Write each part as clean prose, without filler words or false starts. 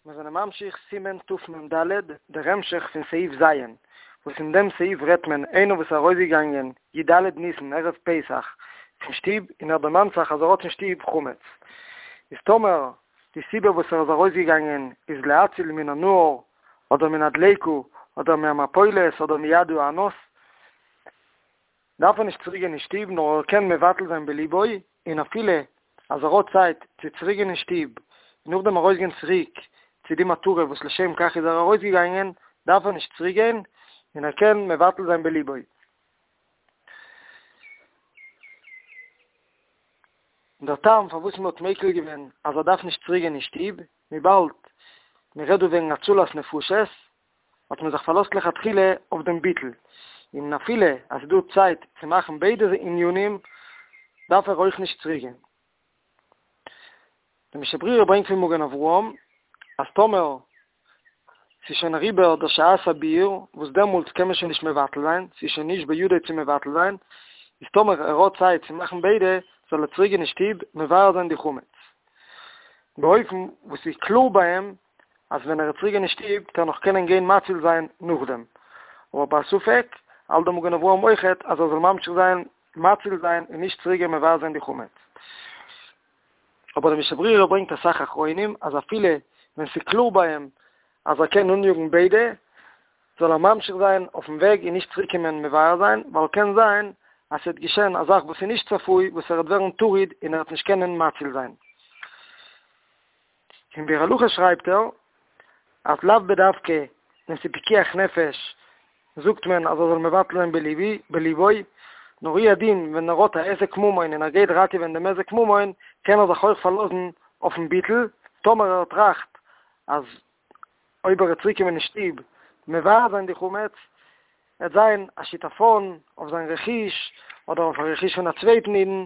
מיר זענען ממשיך סימן תמ ד, דער המשך פון סעיף ז', וואס אין דעם סעיף רעדט מען איינער וואס איז ארויסגעגאנגען י ד ניסן ערב פסח פון שטוב און ער דערמאנט זיך אז ער האט אין שטוב חמץ, איז טאמער די סיבה וואס ער איז ארויסגעגאנגען איז להציל מן הנהר אדער מן הדליקה אדער מהמפולת אדער מיד האנוס, דארף ער נישט צוריק גיין אין שטוב נאר ער קען מבטל זיין בליבו, און אפילו אז ער האט צייט צו צוריק גיין אין שטוב און נאכדעם ארויסגיין צוריק צו די מטרה וואס לשם כך איז ער ארויסגעגאנגען, דארף ער נישט צוריק גיין און ער קען מבטל זיין בליבו. און דער טעם פארוואס מען האט מיקל געווען אז ער דארף נישט צוריק גיין אין שטוב, וויבאלד מען רעדט דא וועגן הצלת נפשות, האט מען זיך פארלאזט לכתחילה אויף דעם ביטול, און אפילו אז ס'איז דא צייט צו מאכן ביידע ענינים, דארף ער אויך נישט צוריקגיין. דער משנה ברורה ברענגט פון מגן אברהם, אז טאמער ס'איז שוין אריבער דער שעת הביעור, וואס דעמאלטס קען מען שוין נישט מבטל זיין, ס'איז שוין נישט בידו צו מבטל זיין, איז טאמער ער האט צייט צו מאכן ביידע, זאל ער צוריקגיין אין שטוב מבער זיין די חמץ. באופן וואס ס'איז קלאר ביי אים אז ווען ער וועט צוריק גיין אין שטוב וועט ער נאך קענען גיין מציל זיין נאכדעם, אבער ביי א ספק האלט דער מגן אברהם אויכעט אז ער זאל ממשיך זיין מציל זיין און נישט צוריק גיין מבער זיין די חמץ. אבער דער משנה ברורה ברענגט אסאך אחרונים אז אפילו ווען ס'איז קלאר ביי אים אז ער קען אניאגן ביידע, זאל ער ממשיך זיין אויפן וועג און נישט צוריק קומען מבער זיין, ווייל קען זיין אז ס'וועט געשען א זאך וואס איז נישט צפוי וואס ער וועט ווערן טרוד און ער וועט נישט קענען מציל זיין. אין ביאור הלכה שרייבט ער אז לאו בדווקא ווען ס'איז פיקוח נפש זאגט מען אז ער זאל מבטל זיין בליבו, נאר הוא הדין ווען ער האט א היזק ממון און ער גייט ראטעווען דעם היזק ממון קען ער זיך אויך פארלאזן אויפן ביטול, טאמער ער טראכט אז אויב ער וועט צוריקקומען אין שטוב מבער זיין די חמץ וועט זיין א שיטפון אויף זיין רכוש אדער אויף א רכוש פון א צווייטן אידן,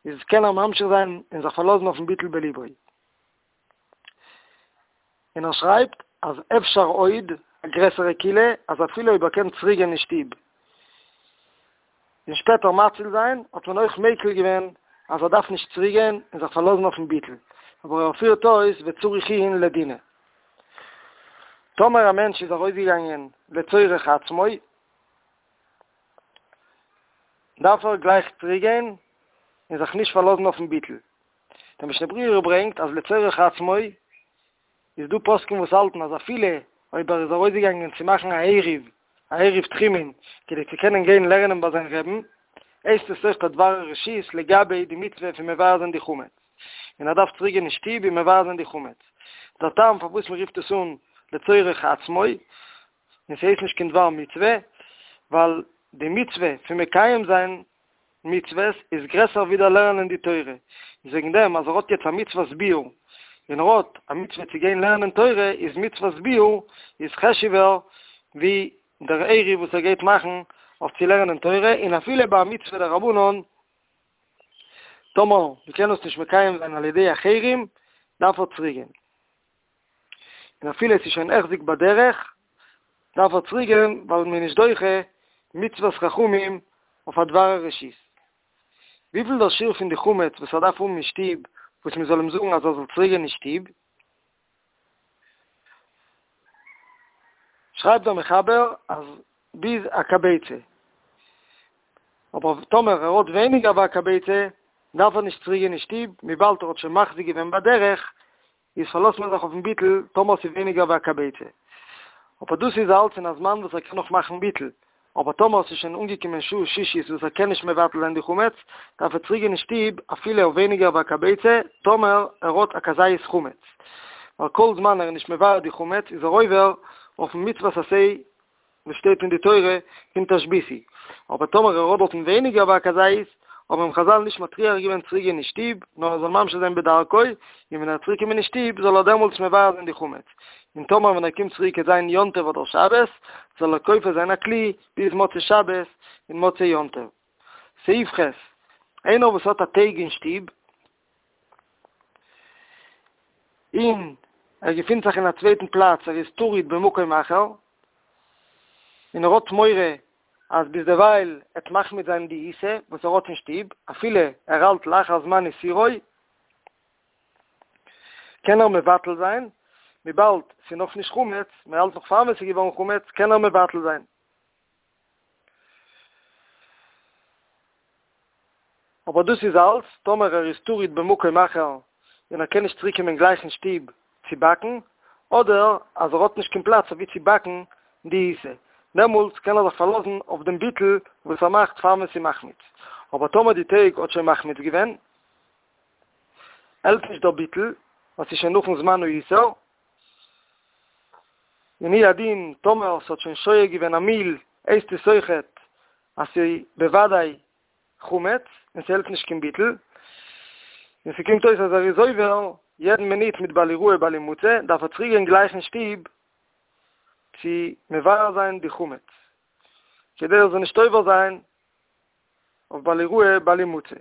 איז קען ער ממשיך זיין און זיך פארלאזן אויפן ביטול בליבו. און ער שרייבט אז אפשר עוד א גרעסערע קולא אז אפילו אויב ער קען צוריק גיין אין שטוב און שפעטער מציל זיין האט מען אויך מיקל געווען אז ער דארף נישט צוריק גיין און זיך פארלאזן אויפן ביטול, אבער ער פירט אויס וצריך עיון לדינא. טאמער א מענטש איז ארויסגעגאנגען לצורך עצמו, דארף ער גלייך צוריק גיין און זיך נישט פארלאזן אויפן ביטול. דער משנה ברורה ברענגט אז לצורך עצמו איז דא פוסקים וואס האלטן אז אפילו אויב ער איז ארויסגעגאנגען צו מאכן א עירוב, א עירוב תחומין, כדי צו קענען גיין לערנען ביי זיין רעבן, הייסט עס אויך א דבר הרשות לגבי די מצוה פון מבער זיין די חמץ, און ער דארף צוריק גיין אין שטוב און מבער זיין די חמץ. דער טעם פארוואס מען רופט עס אן לצורך עצמו, און ס'הייסט נישט קיין דבר מצוה, ווייל די מצוה פון מקיים זיין מצוות איז גרעסער ווי דער לערנען די תורה, איז וועגן דעם אז ער האט יעצט א מצוות ביעור, און ער האט א מצוה צו גיין לערנען תורה, איז מצוות ביעור איז חשוב'ער ווי דער עירוב וואס ער גייט מאכן אויף צו לערנען תורה, און אפילו ביי א מצוה דרבנן, טאמער מ'קען עס נישט מקיים זיין על ידי אחרים, דארף ער צוריקגיין. און אפילו עס איז שוין החזיק בדרך, דארף ער צוריק גיין ווייל מען איז נישט דוחה מצוות חכמים אויף א דבר הרשות. וויפיל דער שיעור פון די חמץ וואס ער דארף האבן אין שטוב וואס מען זאל אים זאגן אז ער זאל צוריק גיין אין שטוב? שרייבט דער מחבר אז ביז א כביצה. אבער טאמער ער האט ווייניגער ווי א כביצה דארף ער נישט צוריק גיין אין שטוב וויבאלד ער האט שוין מחזיק געווען בדרך איז פארלאזט מען זיך אויפן ביטול טאמער ס'איז ווייניגער ווי א כביצה. אבער דאס איז אלץ אין א זמן וואס ער קען נאך מאכן ביטול, אבער טאמער ס'איז שוין אנגעקומען שעה שישית וואס ער קען נישט מבטל זיין די חמץ, דארף ער צוריק גיין אין שטוב אפילו אויף ווייניגער ווי א כביצה, טאמער ער האט א כזית חמץ. ווייל כל זמן ער איז נישט מבער די חמץ איז ער עובר אויפן מצוות עשה וואס שטייט אין די תורה פון תשביתו, אבער טאמער ער האט דארטן ווייניגער ווי א כזית, האבן אים חזל נישט מטריח געווען צוריק גיין אין שטוב, נאר ער זאל ממשיך זיין בדרכו, און ווען ער וועט צוריק קומען אין שטוב זאל ער דעמאלטס מבער זיין די חמץ, און טאמער ווען ער קומט צוריק וועט זיין יום טוב אדער שבת, זאל ער כופה זיין א כלי ביז מוצאי שבת און מוצאי יום טוב. סעיף ח', איינער וואס האט א טייג אין שטוב, און ער געפינט זיך אין א צווייטן פלאץ, ער איז טרוד במקום אחר, און ער האט מורא אז ביזדערווייל עט מחמיץ זיין די עיסה וואס ער האט אין שטוב, אפילו ער האלט לאחר זמן איסורו, קען ער מבטל זיין. וויבאלד ס'איז נאך נישט חמץ, מען האלט נאך פאר ווען ס'איז געווארן חמץ, קען ער מבטל זיין. אבער דאס איז אלץ טאמער ער איז טרוד במקום אחר און ער קען נישט צוריק קומען גלייך אין שטוב צו באקן, אדער אז ער האט נישט קיין פלאץ אוואו צו באקן די עיסה, דעמאלטס קען ער זיך פארלאזן אויף דעם ביטול וואס ער מאכט פאר ווען ס'איז מחמיץ. אבער טאמער די טייג האט שוין מחמיץ געווען, העלפט נישט דער ביטול, ווייל ס'איז שוין נאכן זמן האיסור, און הוא הדין טאמער ס'האט שוין שוהה געווען א מיל, הייסט עס אויכעט אז ס'איז בוודאי חמץ און ס'העלפט נישט קיין ביטול, און ס'קומט אויס אז ער איז עובר יעדן מינוט מיט בל יראה בל ימצא, דארף ער צוריק גיין גלייך אין שטוב צו מבער זיין די חמץ, כדי ער זאל נישט עובר זיין אויף בל יראה בל ימצא.